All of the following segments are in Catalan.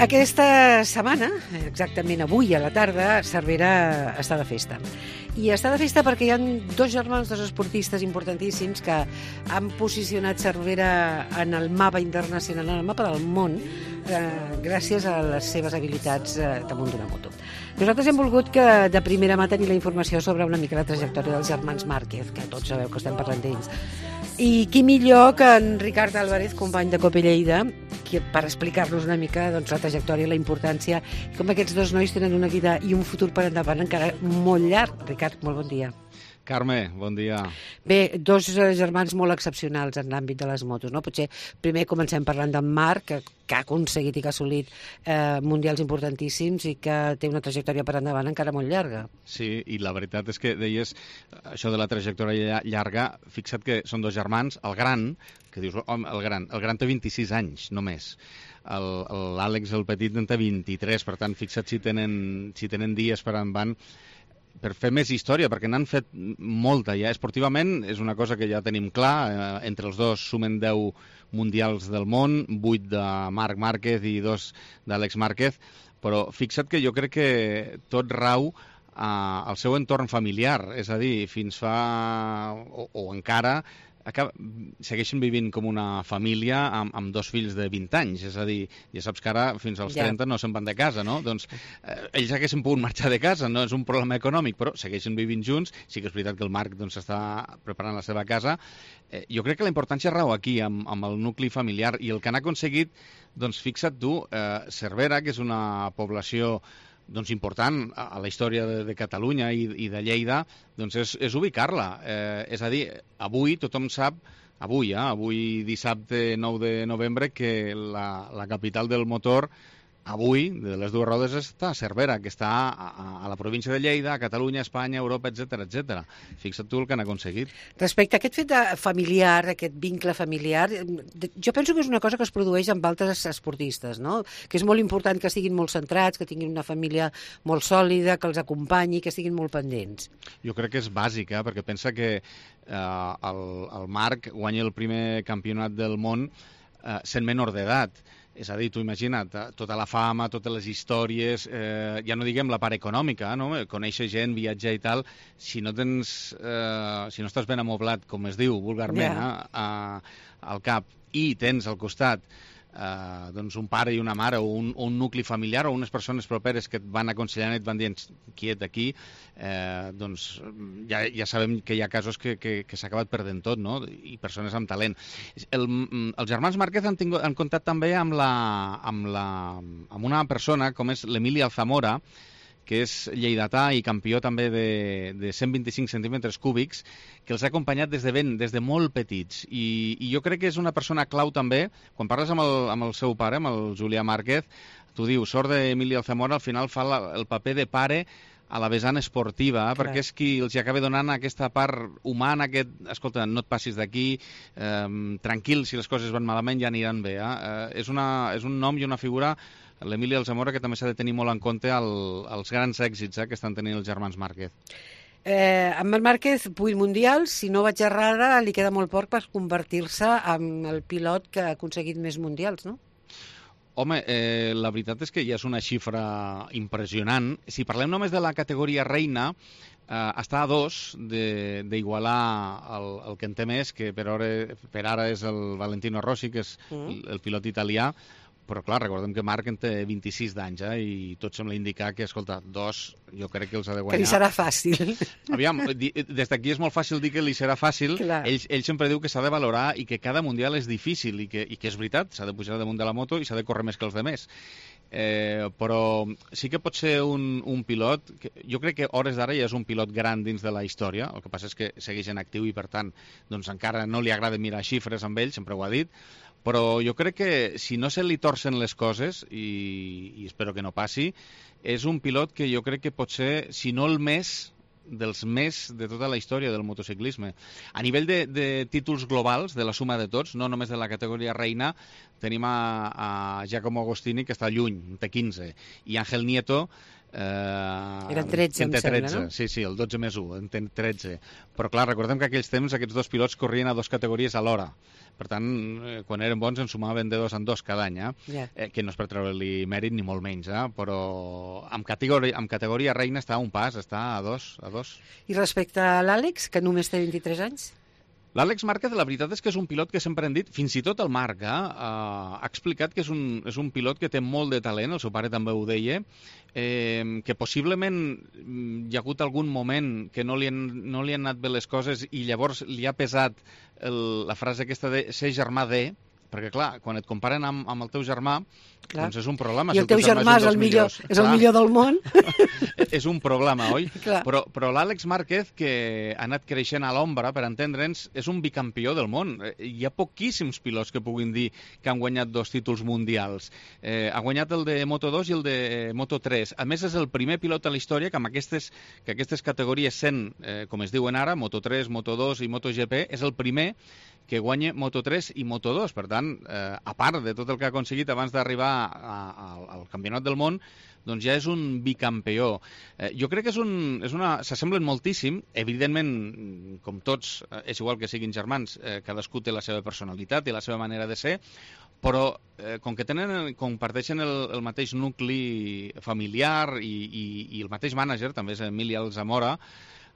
aquesta setmana, exactament avui a la tarda, Cervera està de festa. I està de festa perquè hi ha dos germans, dos esportistes importantíssims que han posicionat Cervera en el mapa internacional, en el mapa del món, gràcies a les seves habilitats damunt d'una moto. Nosaltres hem volgut que de primera mà tenir la informació sobre una mica la trajectòria dels germans Márquez, que tots sabeu que estem parlant d'ells. I qui millor que en Ricard Álvarez, company de Copa Lleida, per explicar-nos una mica la trajectòria, la importància, com aquests dos nois tenen una vida i un futur per endavant encara molt llarg. Ricard, molt bon dia. Carme, bon dia. Bé, dos germans molt excepcionals en l'àmbit de les motos, no? Potser primer comencem parlant d'en Marc, que ha aconseguit i que ha assolit mundials importantíssims i que té una trajectòria per endavant encara molt llarga. Sí, i la veritat és que deies això de la trajectòria llarga, fixa't que són dos germans, el gran, que dius, home, el gran té 26 anys només. L'Àlex, el petit, en té 23, per tant, fixa't si tenen dies per endavant per fer més història, perquè n'han fet molta ja. Esportivament és una cosa que ja tenim clar, entre els dos sumen 10 mundials del món, 8 de Marc Márquez i 2 d'Àlex Márquez, però fixa't que jo crec que tot rau al seu entorn familiar, és a dir, fins fa, o encara, segueixen vivint com una família amb dos fills de 20 anys, és a dir, ja saps que ara fins als 30 no se'n van de casa, no? Doncs ells haguessin pogut marxar de casa, no és un problema econòmic, però segueixen vivint junts. Sí que és veritat que el Marc està preparant la seva casa. Jo crec que la importància rau aquí, amb el nucli familiar, i el que han aconseguit, doncs fixa't tu, Cervera, que és una població important a la història de Catalunya i de Lleida, doncs és ubicar-la. És a dir, avui tothom sap, avui dissabte 9 de novembre, que la capital del motor, avui, de les dues rodes, està a Cervera, que està a la província de Lleida, a Catalunya, Espanya, Europa, etc. Fixa't tu el que han aconseguit. Respecte a aquest fet familiar, aquest vincle familiar, jo penso que és una cosa que es produeix amb altres esportistes, no? Que és molt important que estiguin molt centrats, que tinguin una família molt sòlida, que els acompanyi, que estiguin molt pendents. Jo crec que és bàsic, perquè pensa que el Marc guanya el primer campionat del món sent menor d'edat. És a dir, tu imagina't, tota la fama, totes les històries, ja no diguem la part econòmica, no? Conèixer gent, viatjar i tal, si no estàs ben amoblat, com es diu vulgarment, al cap, i tens al costat un pare i una mare, o un nucli familiar, o unes persones properes que et van aconsellant i et van dient quiet aquí, doncs ja sabem que hi ha casos que s'ha acabat perdent tot, no? I persones amb talent. Els germans Márquez han comptat també amb una persona com és l'Emili Alzamora, que és lleidatà i campió també de 125 centímetres cúbics, que els ha acompanyat des de molt petits. I jo crec que és una persona clau també. Quan parles amb el seu pare, amb el Julià Márquez, tu dius, sort d'Emili Alzamora, al final fa el paper de pare a la vessant esportiva, perquè és qui els acaba donant aquesta part humana, escolta, no et passis d'aquí, tranquil, si les coses van malament ja aniran bé. És un nom i una figura, l'Emili Alzamora, que també s'ha de tenir molt en compte els grans èxits que estan tenint els germans Márquez. Amb el Márquez, 8 mundials, si no vaig errada, li queda molt poc per convertir-se en el pilot que ha aconseguit més mundials, no? Home, la veritat és que ja és una xifra impressionant. Si parlem només de la categoria reina, està a 2 d'igualar el que en té més, que per ara és el Valentino Rossi, que és el pilot italià. Però, clar, recordem que Marc en té 26 d'anys, i tot sembla indicar que, escolta, 2, jo crec que els ha de guanyar. Que li serà fàcil. Aviam, des d'aquí és molt fàcil dir que li serà fàcil. Ell sempre diu que s'ha de valorar i que cada mundial és difícil i que és veritat, s'ha de pujar damunt de la moto i s'ha de córrer més que els demés. Però sí que pot ser un pilot, jo crec que hores d'ara ja és un pilot gran dins de la història, el que passa és que segueix en actiu i per tant doncs encara no li agrada mirar xifres amb ell, sempre ho ha dit, però jo crec que si no se li torcen les coses, i espero que no passi, és un pilot que jo crec que pot ser, si no el més, dels més de tota la història del motociclisme. A nivell de títols globals, de la suma de tots, no només de la categoria reina, tenim a Giacomo Agostini, que està lluny, té 15, i Ángel Nieto, eren 13, em sembla, no? Sí, el 12 més 1, en té 13. Però clar, recordem que aquells temps aquests dos pilots corrien a 2 categories alhora. Per tant, quan eren bons en sumaven de 2 en 2 cada any, que no és per treure-li mèrit ni molt menys, però amb categoria reina està a un pas, està a dos. I respecte a l'Àlex, que només té 23 anys? L'Àlex Márquez, la veritat és que és un pilot que sempre hem dit, fins i tot el Marc ha explicat que és un pilot que té molt de talent, el seu pare també ho deia, que possiblement hi ha hagut algun moment que no li han anat bé les coses i llavors li ha pesat la frase aquesta de ser germà de, perquè clar, quan et comparen amb el teu germà, doncs és un problema. I el teu germà és el millor del món. És un problema, oi? Clar. Però l'Àlex Márquez, que ha anat creixent a l'ombra, per entendre'ns, és un bicampió del món. Hi ha poquíssims pilots que puguin dir que han guanyat 2 títols mundials. Ha guanyat el de Moto2 i el de Moto3. A més, és el primer pilot a la història que aquestes categories sent, com es diuen ara, Moto3, Moto2 i MotoGP, és el primer que guanya Moto3 i Moto2. Per tant, a part de tot el que ha aconseguit abans d'arribar al Campionat del Món, doncs ja és un bicampió. Jo crec que s'assemblen moltíssim. Evidentment, com tots, és igual que siguin germans, cadascú té la seva personalitat i la seva manera de ser, però com que comparteixen el mateix nucli familiar i el mateix mànager, també és Emili Alzamora,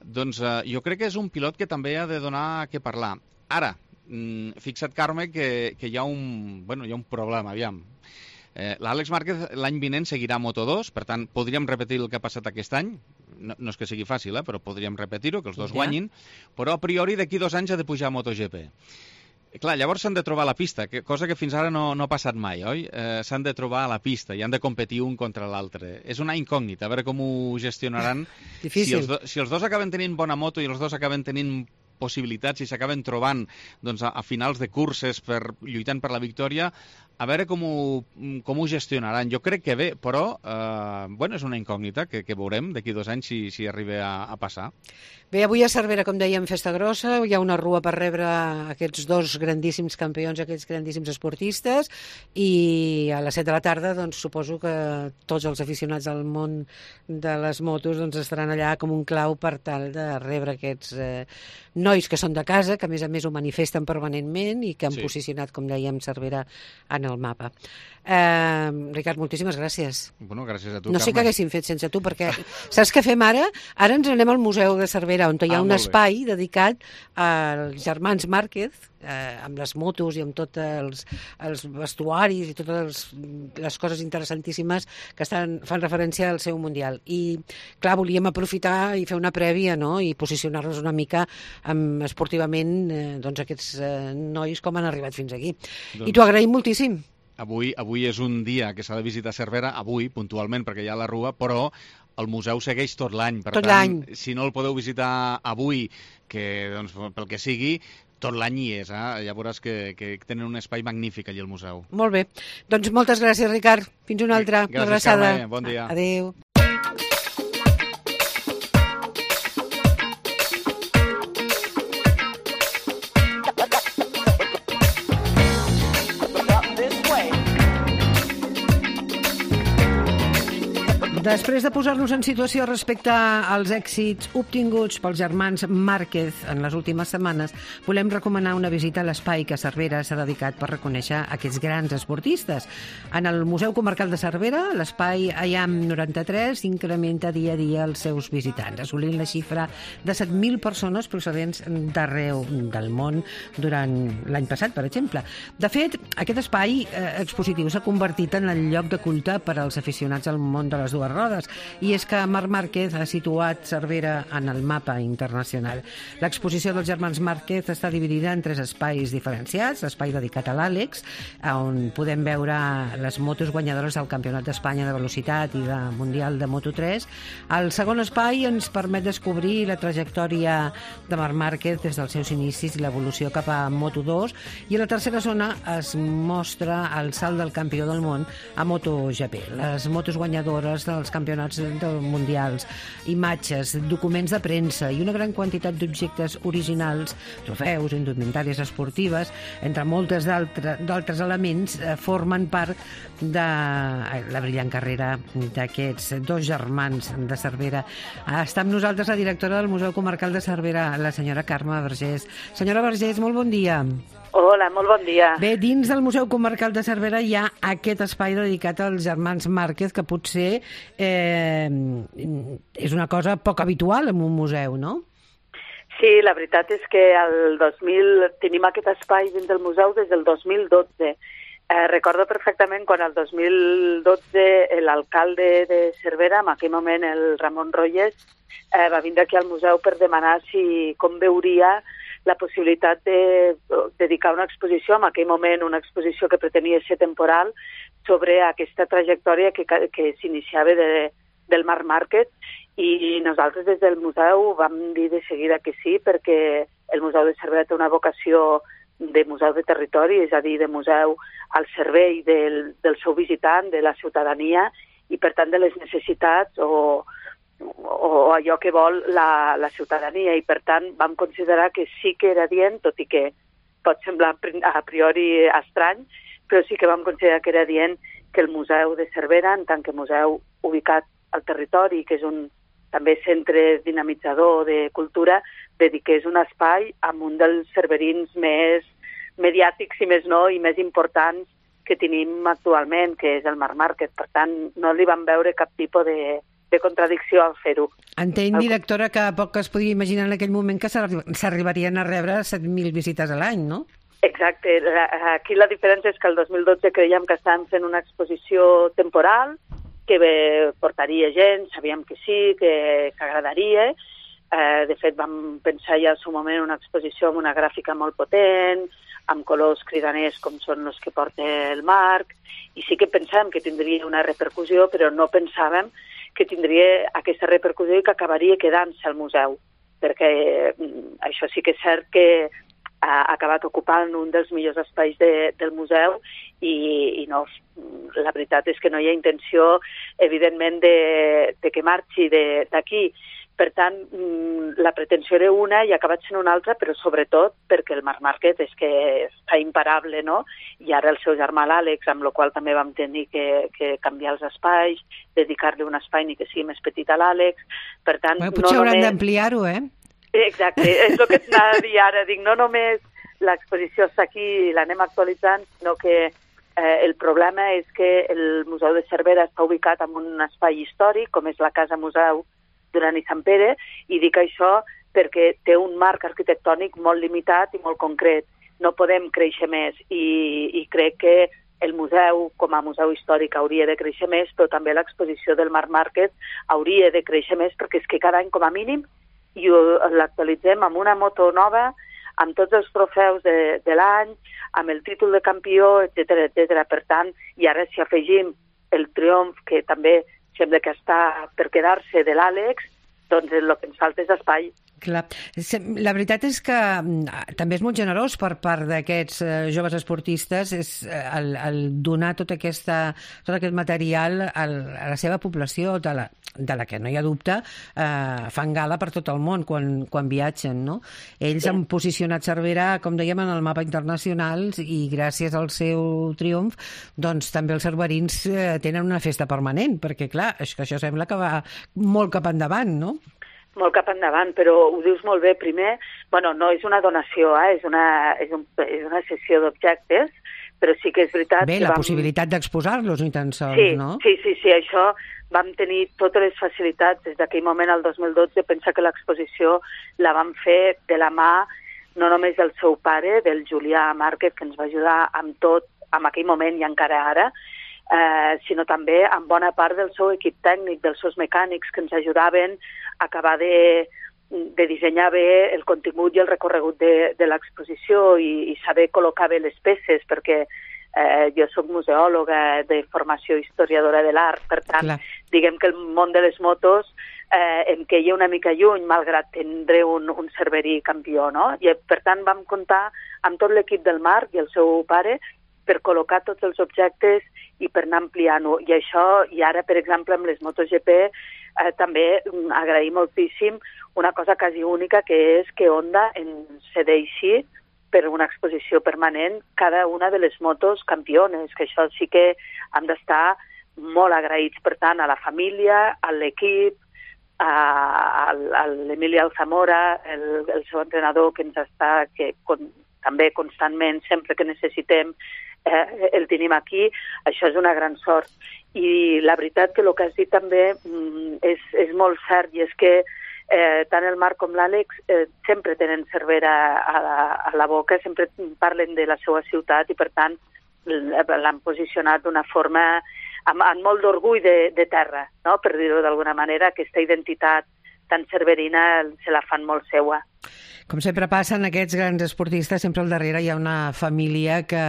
doncs jo crec que és un pilot que també ha de donar què parlar. Ara, fixa't, Carme, que hi ha un problema, aviam. L'Àlex Márquez l'any vinent seguirà a Moto2, per tant, podríem repetir el que ha passat aquest any, no és que sigui fàcil, però podríem repetir-ho, que els dos guanyin, però a priori d'aquí 2 anys ha de pujar a MotoGP. Clar, llavors s'han de trobar a la pista, cosa que fins ara no ha passat mai, oi? S'han de trobar a la pista i han de competir un contra l'altre. És una incògnita, a veure com ho gestionaran. Difícil. Si els dos acaben tenint bona moto i els dos acaben tenint possibilitats i s'acaben trobant a finals de curses lluitant per la victòria, a veure com ho gestionaran. Jo crec que bé, però és una incògnita que veurem d'aquí 2 anys si arriba a passar. Bé, avui a Cervera, com dèiem, festa grossa, hi ha una rua per rebre aquests 2 grandíssims campions, aquests grandíssims esportistes, i a les 7 de la tarda doncs, suposo que tots els aficionats del món de les motos estaran allà com un clau per tal de rebre aquests nois que són de casa, que a més ho manifesten permanentment i que han posicionat, com dèiem, Cervera en el mapa. Ricard, moltíssimes gràcies. Bueno, gràcies a tu, no sé què haguéssim fet sense tu, perquè saps què fem ara? Ara ens anem al Museu de Cervera, on hi ha un espai dedicat als germans Márquez, amb les motos i amb tots els vestuaris i totes les coses interessantíssimes que fan referència al seu Mundial. I, clar, volíem aprofitar i fer una prèvia, no?, i posicionar-nos una mica esportivament aquests nois com han arribat fins aquí. I t'ho agraïm moltíssim. Avui és un dia que s'ha de visitar Cervera, avui, puntualment, perquè hi ha la rua, però el museu segueix tot l'any. Per tant, si no el podeu visitar avui, pel que sigui, tot l'any hi és. Ja veuràs que tenen un espai magnífic allà al museu. Molt bé. Doncs moltes gràcies, Ricard. Fins una altra. Gràcies, Carme. Bon dia. Adéu. Després de posar-nos en situació respecte als èxits obtinguts pels germans Márquez en les últimes setmanes, volem recomanar una visita a l'espai que Cervera s'ha dedicat per reconèixer aquests grans esportistes. En el Museu Comarcal de Cervera, l'espai IAM 93 incrementa dia a dia els seus visitants, assolint la xifra de 7.000 persones procedents d'arreu del món durant l'any passat, per exemple. De fet, aquest espai expositiu s'ha convertit en el lloc de culte per als aficionats al món de les dues rodes, i és que Marc Márquez ha situat Cervera en el mapa internacional. L'exposició dels germans Márquez està dividida en 3 espais diferenciats: l'espai dedicat a l'Àlex, on podem veure les motos guanyadores del Campionat d'Espanya de velocitat i de Mundial de Moto3. El segon espai ens permet descobrir la trajectòria de Marc Márquez des dels seus inicis i l'evolució cap a Moto2, i a la tercera zona es mostra el salt del campió del món a MotoGP, les motos guanyadores dels campionats mundials, imatges, documents de premsa i una gran quantitat d'objectes originals, trofeus, indumentàries esportives, entre moltes d'altres elements, formen part de la brillant carrera d'aquests 2 germans de Cervera. Està amb nosaltres la directora del Museu Comarcal de Cervera, la senyora Carme Vergés. Senyora Vergés, molt bon dia. Hola, molt bon dia. Bé, dins del Museu Comarcal de Cervera hi ha aquest espai dedicat als germans Márquez, que potser és una cosa poc habitual en un museu, no? Sí, la veritat és que tenim aquest espai dins del museu des del 2012. Recordo perfectament quan el 2012 l'alcalde de Cervera, en aquell moment el Ramon Royes, va vindre aquí al museu per demanar com veuria la possibilitat de dedicar una exposició, en aquell moment una exposició que pretenia ser temporal, sobre aquesta trajectòria que s'iniciava del Marc Márquez, i nosaltres des del museu vam dir de seguida que sí, perquè el Museu de Cervera té una vocació de museu de territori, és a dir, de museu al servei del seu visitant, de la ciutadania, i per tant de les necessitats o allò que vol la ciutadania, i per tant vam considerar que sí que era adient, tot i que pot semblar a priori estrany, però sí que vam considerar que era adient que el Museu de Cervera, en tant que museu ubicat al territori, que és un també centre dinamitzador de cultura, dediqués un espai amb un dels cerverins més mediàtics i més importants que tenim actualment, que és el Marc Márquez. Per tant, no li vam veure cap tipus de contradicció al fer-ho. Entenc, directora, que poc es podia imaginar en aquell moment que s'arribarien a rebre 7.000 visites a l'any, no? Exacte. Aquí la diferència és que el 2012 creiem que estàvem fent una exposició temporal, que portaria gent, sabíem que sí, que agradaria. De fet, vam pensar ja al seu moment una exposició amb una gràfica molt potent, amb colors cridaners com són els que porta el Marc, i sí que pensàvem que tindria una repercussió, però no pensàvem que tindria aquesta repercussió i que acabaria quedant-se al museu, perquè això sí que és cert que ha acabat ocupant un dels millors espais del museu i no, la veritat és que no hi ha intenció, evidentment, de que marxi d'aquí. Per tant, la pretensió era una i ha acabat sent una altra, però sobretot perquè el Marc Márquez és que està imparable, no? I ara el seu germà l'Àlex, amb el qual també vam tenir que canviar els espais, dedicar-li un espai ni que sigui més petit a l'Àlex. Per tant, potser hauran d'ampliar-ho, eh? Exacte, és el que t'anava a dir ara. Dic, no només l'exposició està aquí i l'anem actualitzant, sinó que el problema és que el Museu de Cervera està ubicat en un espai històric, com és la Casa Museu Duran i Sant Pere, i dic això perquè té un marc arquitectònic molt limitat i molt concret. No podem créixer més i crec que el museu, com a museu històric, hauria de créixer més, però també l'exposició del Marc Márquez hauria de créixer més, perquè és que cada any, com a mínim, i l'actualitzem amb una moto nova, amb tots els trofeus de l'any, amb el títol de campió, etc. Per tant, i ara si afegim el triomf, que també sembla que està per quedar-se, de l'Àlex, doncs el que ens falta és espai. Clar. La veritat és que també és molt generós per part d'aquests joves esportistes el donar tot aquest material a la seva població, de la que no hi ha dubte, fan gala per tot el món quan viatgen, no? Ells han posicionat Cervera, com dèiem, en el mapa internacional, i gràcies al seu triomf, doncs també els cerverins tenen una festa permanent, perquè clar, això sembla que va molt cap endavant, no? Molt cap endavant, però ho dius molt bé. Primer, no és una donació, és una sessió d'objectes, però sí que és veritat... Bé, la possibilitat d'exposar-los, ni tan sols, no? Sí, això vam tenir totes les facilitats des d'aquell moment, el 2012. Pensa que l'exposició la vam fer de la mà no només del seu pare, del Julià Márquez, que ens va ajudar amb tot, en aquell moment i encara ara, sinó també amb bona part del seu equip tècnic, dels seus mecànics, que ens ajudaven a acabar de dissenyar bé el contingut i el recorregut de l'exposició i saber col·locar bé les peces, perquè jo soc museòloga de formació historiadora de l'art, per tant, diguem que el món de les motos em queia una mica lluny, malgrat tindre un cerverí campió, no? I per tant vam comptar amb tot l'equip del Marc i el seu pare per col·locar tots els objectes i per anar ampliant-ho. I això, i ara, per exemple, amb les MotoGP, també agrair moltíssim una cosa quasi única, que és que Honda ens cedeixi per una exposició permanent cada una de les motos campiones, que això sí que hem d'estar molt agraïts, per tant, a la família, a l'equip, a l'Emili Alzamora, el seu entrenador, que ens està també constantment, sempre que necessitem, el tenim aquí. Això és una gran sort. I la veritat que el que has dit també és molt cert, i és que tant el Marc com l'Àlex sempre tenen Cervera a la boca, sempre parlen de la seva ciutat i, per tant, l'han posicionat d'una forma amb molt d'orgull de terra, no? Per dir-ho d'alguna manera, aquesta identitat tan cerverina se la fan molt seua. Com sempre passa en aquests grans esportistes, sempre al darrere hi ha una família que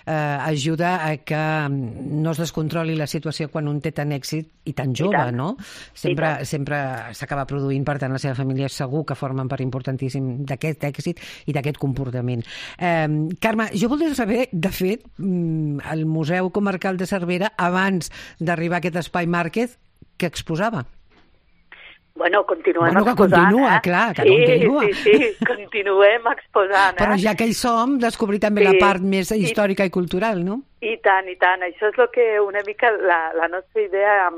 ajuda a que no es descontroli la situació quan un té tant èxit i tan jove, no? Sempre s'acaba produint, per tant, la seva família segur que formen part importantíssim d'aquest èxit i d'aquest comportament. Carme, jo voldria saber, de fet, el Museu Comarcal de Cervera, abans d'arribar a aquest espai Márquez, què exposava? Bueno, continuem exposant. Continua, clar, que continua. Sí, continuem exposant. Però ja que hi som, descobrir també la part més històrica i cultural, no? I tant, i tant. Això és el que una mica la nostra idea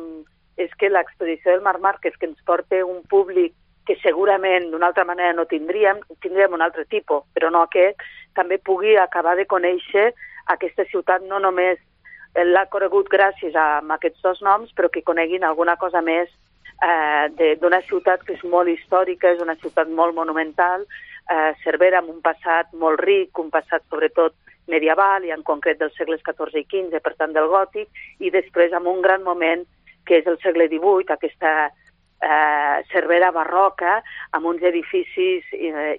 és que l'exposició del Marc Márquez, que ens porta un públic que segurament d'una altra manera no tindríem un altre tipus, però no aquest, també pugui acabar de conèixer aquesta ciutat. No només l'ha conegut gràcies a aquests dos noms, però que coneguin alguna cosa més d'una ciutat que és molt històrica, és una ciutat molt monumental, Cervera amb un passat molt ric, un passat sobretot medieval i en concret dels segles XIV i XV, per tant del gòtic, i després amb un gran moment que és el segle XVIII, aquesta Cervera barroca, amb uns edificis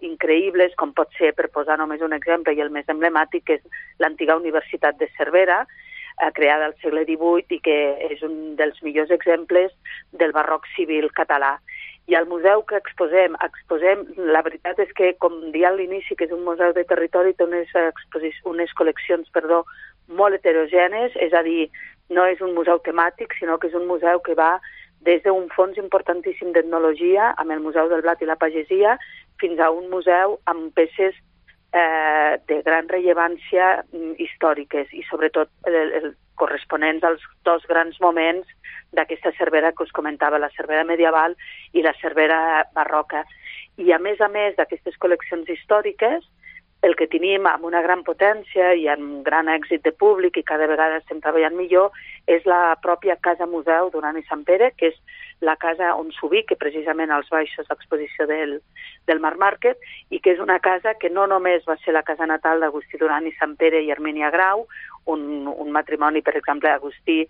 increïbles, com pot ser, per posar només un exemple, i el més emblemàtic, que és l'antiga Universitat de Cervera, creada al segle XVIII i que és un dels millors exemples del barroc civil català. I al museu que exposem, la veritat és que, com dia a l'inici, que és un museu de territori, té unes col·leccions molt heterogènes, és a dir, no és un museu temàtic, sinó que és un museu que va des d'un fons importantíssim d'etnologia, amb el Museu del Blat i la Pagesia, fins a un museu amb peces de gran rellevància històriques i sobretot corresponents als dos grans moments d'aquesta Cervera que us comentava, la Cervera medieval i la Cervera barroca. I a més d'aquestes col·leccions històriques, el que tenim amb una gran potència i amb gran èxit de públic i cada vegada estem treballant millor és la pròpia Casa Museu Duran i Sant Pere, que és la casa on s'ubica precisament als baixos d'exposició del Marc Márquez, i que és una casa que no només va ser la casa natal d'Agustí Duran i Sant Pere i Hermínia Grau, un matrimoni, per exemple, Agustí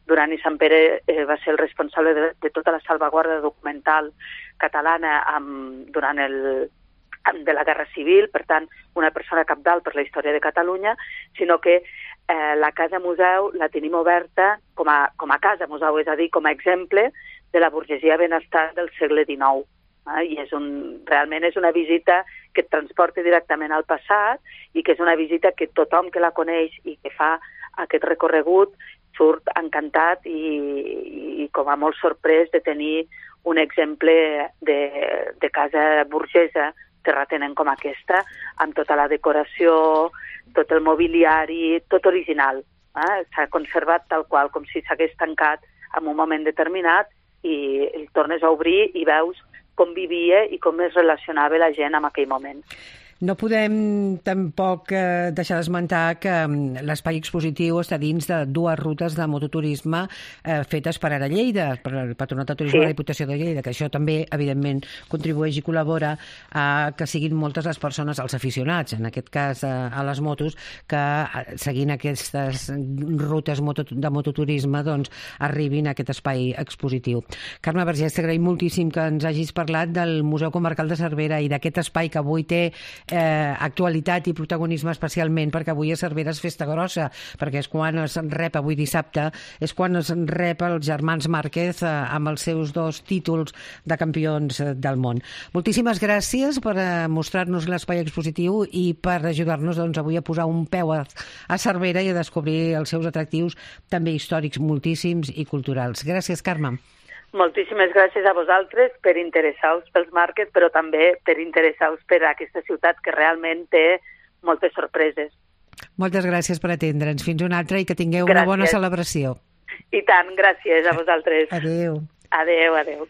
Duran i Sant Pere va ser el responsable de tota la salvaguarda documental catalana durant de la Guerra Civil, per tant, una persona cabdal per la història de Catalunya, sinó que la Casa Museu la tenim oberta com a Casa Museu, és a dir, com a exemple de la burgesia benestant del segle XIX. I realment és una visita que et transporta directament al passat i que és una visita que tothom que la coneix i que fa aquest recorregut surt encantat i com a molt sorprès de tenir un exemple de casa burgesa terratenent com aquesta, amb tota la decoració, tot el mobiliari, tot original. S'ha conservat tal qual, com si s'hagués tancat en un moment determinat i el tornes a obrir i veus com vivia i com es relacionava la gent en aquell moment. No podem tampoc deixar d'esmentar que l'espai expositiu està dins de dues rutes de mototurisme fetes per Ara Lleida, per el Patronat de Turisme de la Diputació de Lleida, que això també, evidentment, contribueix i col·labora a que siguin moltes les persones, els aficionats, en aquest cas a les motos, que seguint aquestes rutes de mototurisme doncs arribin a aquest espai expositiu. Carme Vergés, t'agraïm moltíssim que ens hagis parlat del Museu Comarcal de Cervera i d'aquest espai que avui té actualitat i protagonisme especialment perquè avui a Cervera és festa grossa, perquè és quan es rep, avui dissabte, és quan es rep els germans Márquez amb els seus 2 títols de campions del món. Moltíssimes gràcies per mostrar-nos l'espai expositiu i per ajudar-nos avui a posar un peu a Cervera i a descobrir els seus atractius també històrics moltíssims i culturals. Gràcies, Carme. Moltíssimes gràcies a vosaltres per interessar-vos pels Márquez, però també per interessar-vos per aquesta ciutat que realment té moltes sorpreses. Moltes gràcies per atendre'ns. Fins una altra i que tingueu una bona celebració. I tant, gràcies a vosaltres. Adéu. Adéu, adéu.